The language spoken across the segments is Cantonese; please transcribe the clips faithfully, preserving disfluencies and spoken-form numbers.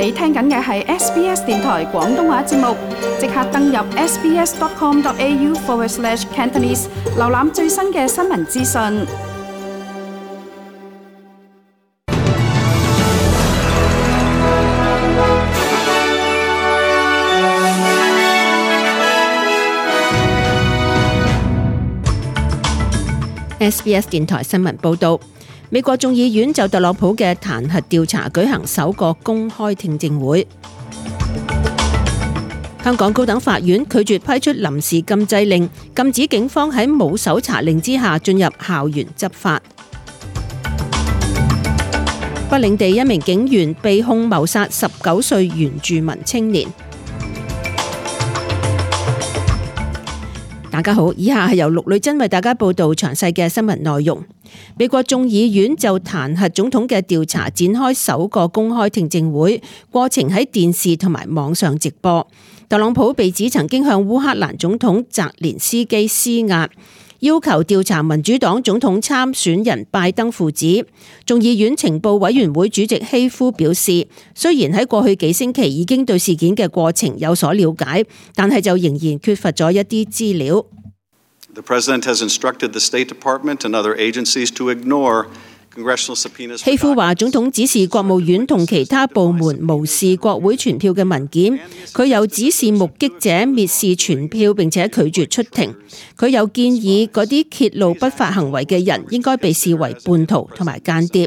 你聽緊嘅係 S B S 電台廣東話節目，即刻登入 sbs.com.au forward slash Cantonese， 瀏覽最新嘅新聞資訊。S B S 電台新聞報道，美國眾議院就特朗普嘅彈劾調查舉行首個公開聽證會。香港高等法院拒絕批出臨時禁制令，禁止警方喺冇搜查令之下進入校園執法。北領地一名警員被控謀殺十九歲原住民青年。大家好，以下係由陸女珍為大家報道詳細嘅新聞內容。美國眾議院就彈劾總統嘅調查展開首個公開聽證會，過程喺電視同埋網上直播。特朗普被指曾經向烏克蘭總統澤連斯基施壓，要求調查民主黨總統參選人拜登父子。眾議院情報委員會主席希夫表示，雖然喺過去幾星期已經對事件嘅過程有所了解，但係就仍然缺乏咗一啲資料。The President has instructed the State Department and other agencies to ignore congressional subpoenas. 希夫話，總統指示國務院同其他部門無視國會傳票嘅文件，佢又指示目擊者蔑視傳票並且拒絕出庭。佢又建議嗰啲揭露不法行為嘅人應該被視為叛徒同埋間諜。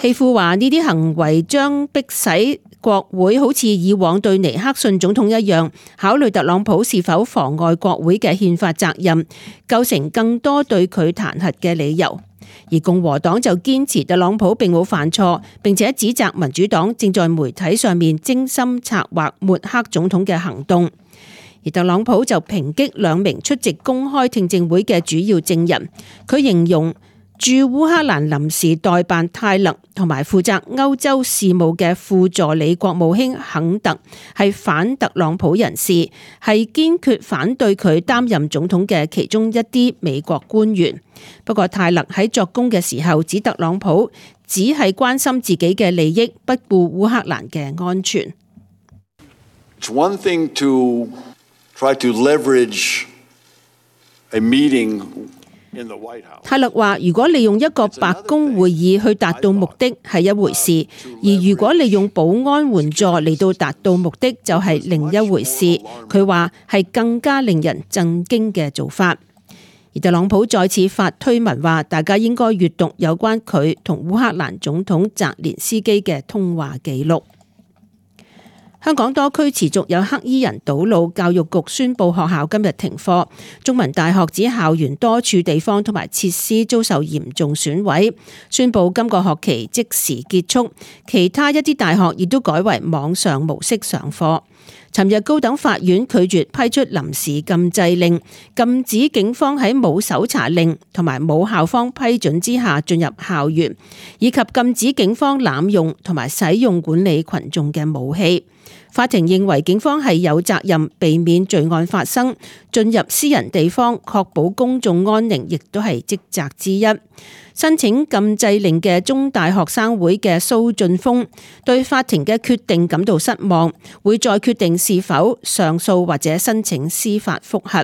希夫話，呢啲行為將迫使國會好似以往對尼克遜總統一樣，考慮特朗普是否妨礙國會嘅憲法責任，構成更多對佢彈劾嘅理由。而共和黨就堅持特朗普並冇犯錯，並且指責民主黨正在媒體上面精心策劃抹黑總統嘅行動。而特朗普就抨擊兩名出席公開聽證會嘅主要證人，佢形容駐烏克蘭臨時代辦泰勒同埋負責歐洲事務嘅副助理國務卿肯特係反特朗普人士，係堅決反對佢擔任總統嘅其中一啲美國官員。不過泰勒喺作供嘅時候指特朗普只係關心自己嘅利益，不顧烏克蘭嘅安全。It's one thing to try to leverage a meeting.泰勒話，如果利用一個白宮會議去達到目的係一回事，而如果利用保安援助嚟到達到目的就係另一回事。佢話係更加令人震驚嘅做法。而特朗普再次發推文話，大家應該閱讀有關佢同烏克蘭總統澤連斯基嘅通話記錄。香港多區持續有黑衣人堵路，教育局宣布學校今日停課。中文大學指校園多處地方同埋設施遭受嚴重損毀，宣布今個學期即時結束。其他一啲大學亦都改為網上模式上課。尋日高等法院拒絕批出臨時禁制令，禁止警方喺冇搜查令同埋冇校方批准之下進入校園，以及禁止警方濫用同埋使用管理群眾嘅武器。法庭認為警方係有責任避免罪案發生，進入私人地方確保公眾安寧，亦都係職責之一。申請禁制令嘅中大學生會嘅蘇俊峰對法庭嘅決定感到失望，會再決定是否上訴或者申請司法覆核。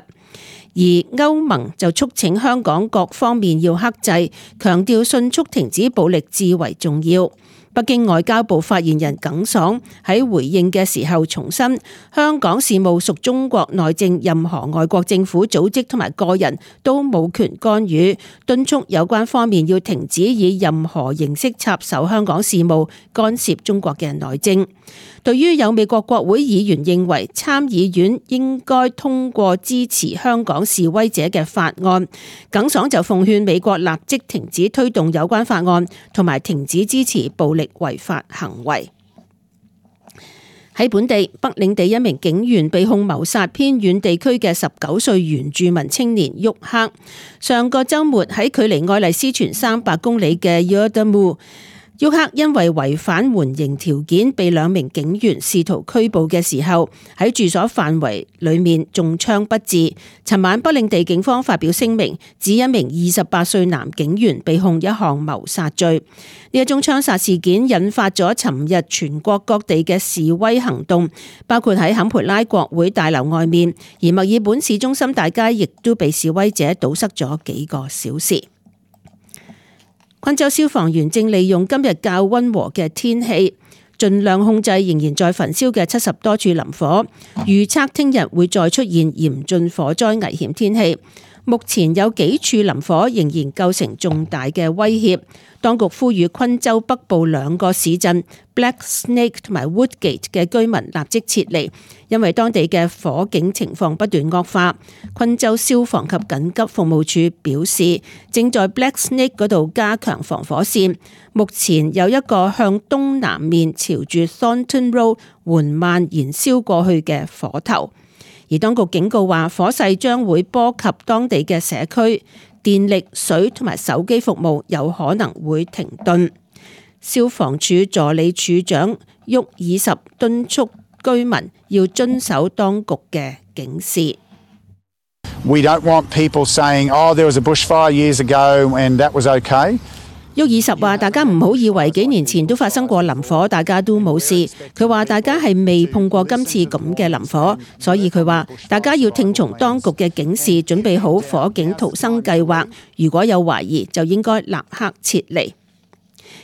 而歐盟就促請香港各方面要克制，強調迅速停止暴力至為重要。北京外交部發言人耿爽喺回應嘅時候重申，香港事務屬中國內政，任何外國政府組織同埋個人都冇權干預，敦促有關方面要停止以任何形式插手香港事務，干涉中國嘅內政。對於有美國國會議員認為參議院應該通過支持香港示威者嘅法案，耿爽就奉勸美國立即停止推動有關法案，同埋停止支持暴力違法行為。喺本地，北領地一名警員被控謀殺偏遠地區嘅十九歲原住民青年沃克，上個週末喺距離愛麗絲泉三百公里嘅 Yuendamu 沃克因為違反緩刑條件，被兩名警員試圖拘捕嘅時候，喺住所範圍裏面中槍不治。尋晚不領地警方發表聲明，指一名二十八歲男警員被控一項謀殺罪。呢一宗槍殺事件引發咗尋日全國各地嘅示威行動，包括喺坎培拉國會大樓外面，而墨爾本市中心大街亦都被示威者堵塞咗幾個小時。昆州消防員正利用今日較溫和嘅天氣，盡量控制仍然在焚燒嘅七十多處林火。預測聽日會再出現嚴峻火災危險天氣。目前有幾處林火仍然構成重大嘅威脅。當局呼籲昆州北部兩個市鎮 Black Snake 同埋 Woodgate 嘅居民立即撤離，因為當地嘅火警情況不斷惡化。昆州消防及緊急服務處表示，正在 Black Snake 嗰度加強防火線。目前有一個向東南面朝住 Thornton Road 緩慢燃燒過去嘅火頭。而當局警告話，火勢將會波及當地嘅社區，電力、水同埋手機服務有可能會停頓。消防處助理處長沃爾什敦促居民要遵守當局嘅警示。We don't want people saying, "Oh, there was a bushfire years ago and that was okay." 沃爾什話：大家唔好以為幾年前都發生過林火，大家都冇事。佢話大家係未碰過今次咁嘅林火，所以佢話大家要聽從當局嘅警示，準備好火警逃生計劃。如果有懷疑，就應該立刻撤離。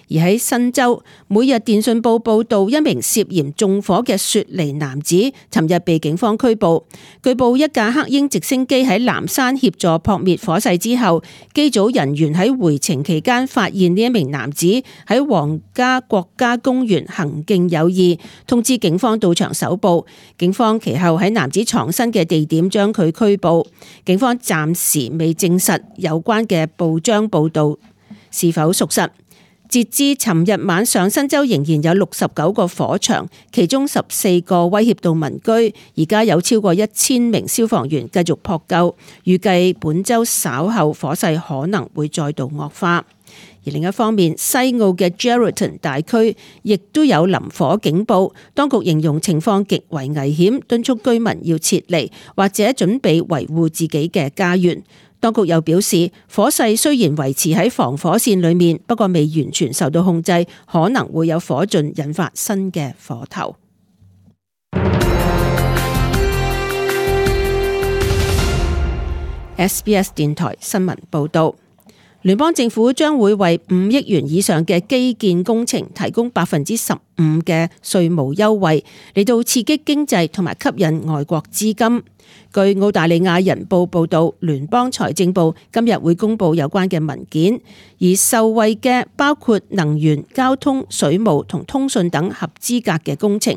而喺新州，每日電訊報報道一名涉嫌縱火嘅雪梨男子，尋日被警方拘捕。據報一架黑鷹直升機喺南山協助撲滅火勢之後，機組人員喺回程期間發現呢一名男子喺皇家國家公園行徑有異，通知警方到場搜捕。警方其後喺男子藏身嘅地點將佢拘捕。警方暫時未證實有關嘅報章報道是否屬實。截至尋日晚上，新州仍然有六十九個火場，其中十四個威脅到民居。而家有超過一千名消防員繼續撲救，預計本週稍後火勢可能會再度惡化。而另一方面，西澳嘅 Geraldton 大區亦都有林火警報，當局形容情況極為危險，敦促居民要撤離或者準備維護自己嘅家園。當局又表示，火勢雖然維持喺防火線裏面，不過未完全受到控制，可能會有火盡引發新嘅火頭。S B S 電台新聞報道。聯邦政府將會為五億元以上嘅基建工程提供百分之十五嘅稅務優惠，嚟到刺激經濟同埋吸引外國資金。據澳大利亞人報報道，聯邦財政部今日會公布有關嘅文件，而受惠嘅包括能源、交通、水務同通訊等合資格嘅工程。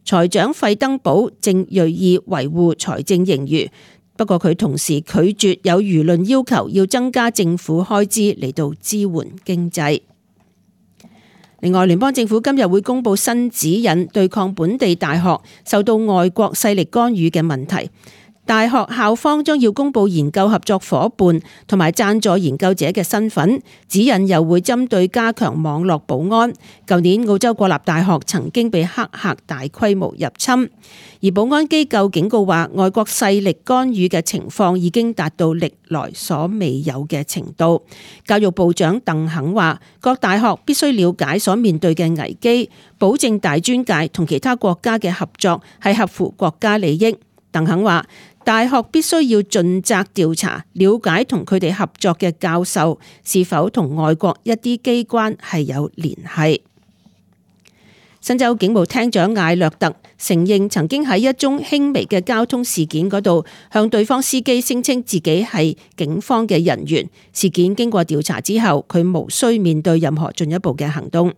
財長費登堡正銳意維護財政盈餘。不過佢同時拒絕有輿論要求要增加政府開支嚟到支援經濟。另外，聯邦政府今日會公布新指引，對抗本地大學受到外國勢力干預嘅問題。大學校方將要公布研究合作夥伴同埋贊助研究者嘅身份，指引又會針對加強網絡保安。舊年澳洲國立大學曾經被黑客大規模入侵，而保安機構警告話，外國勢力干預嘅情況已經達到歷來所未有嘅程度。教育部長鄧肯話，各大學必須了解所面對嘅危機，保證大專界同其他國家嘅合作係合乎國家利益。鄧肯話，大學必須要盡責調查，了解同佢哋合作嘅教授是否同外國一啲機關係有聯繫。新州警務廳長艾略特承認曾經喺一宗輕微嘅交通事件嗰度向對方司機聲稱自己係警方嘅人員。事件經過調查之後，佢無需面對任何進一步嘅行動。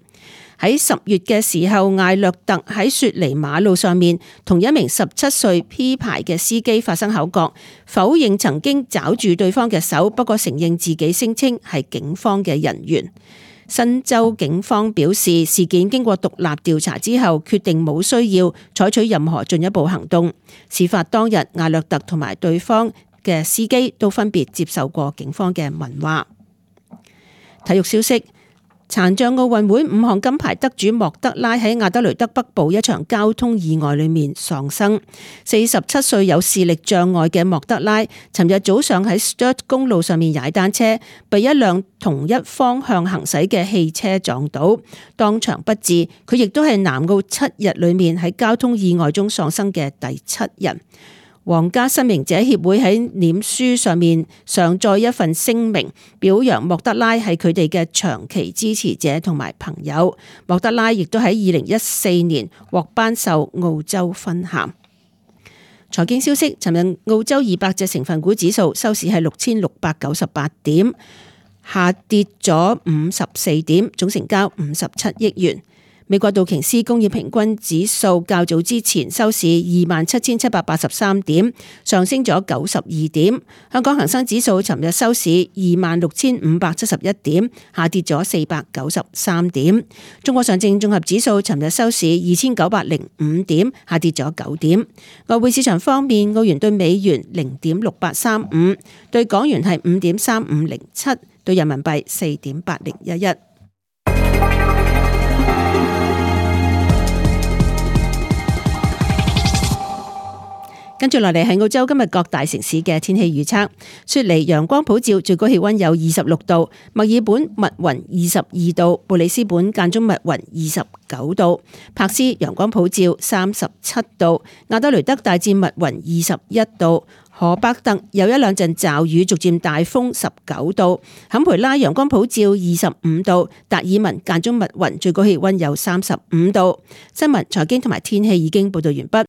喺十月嘅時候，艾略特喺雪梨馬路上面同一名十七歲 P 牌嘅司機發生口角，否認曾經抓住對方嘅手，不過承認自己聲稱係警方嘅人員。新州警方表示，事件經過獨立調查之後，決定冇需要採取任何進一步行動。事發當日，艾略特同埋對方嘅司機都分別接受過警方嘅問話。體育消息。殘障奧運會五項金牌得主莫德拉喺亞德雷德北部一場交通意外裏面喪生。四十七歲有視力障礙嘅莫德拉，尋日早上喺 Sturt 公路上面踩單車，被一輛同一方向行駛嘅汽車撞倒，當場不治。佢亦都係南澳七日裏面喺交通意外中喪生嘅第七人。皇家失明者協會喺臉書上面上載一份聲明，表揚莫德拉係佢哋嘅長期支持者同埋朋友。莫德拉亦都喺二零一四年獲頒授澳洲勳銜。財經消息，尋日澳洲二百隻成分股指數收市係六千六百九十八點，下跌咗五十四點，總成交五十七億元。美國道瓊斯工業平均指數較早之前收市二萬七千七百八十三點，上升咗九十二點。香港恒生指數尋日收市二萬六千五百七十一點，下跌咗四百九十三點。中國上證綜合指數尋日收市二千九百零五點，下跌咗九點。外匯市場方面，澳元對美元零點六八三五，對港元係五點三五零七，對人民幣四點八零一一。跟住落嚟係澳洲今日各大城市嘅天氣預測。雪梨陽光普照，最高氣溫有二十六度；墨爾本密雲二十二度；布里斯本間中密雲二十九度；柏斯陽光普照三十七度；亞德雷德大致密雲二十一度；荷伯特有一兩陣驟雨，逐漸大風十九度；坎培拉陽光普照二十五度；達爾文間中密雲，最高氣溫有三十五度。新聞、財經同埋天氣已經報道完畢。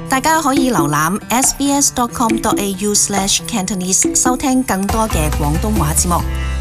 大家可以瀏覽 s b s dot com dot a u slash cantonese 收聽更多嘅廣東話節目。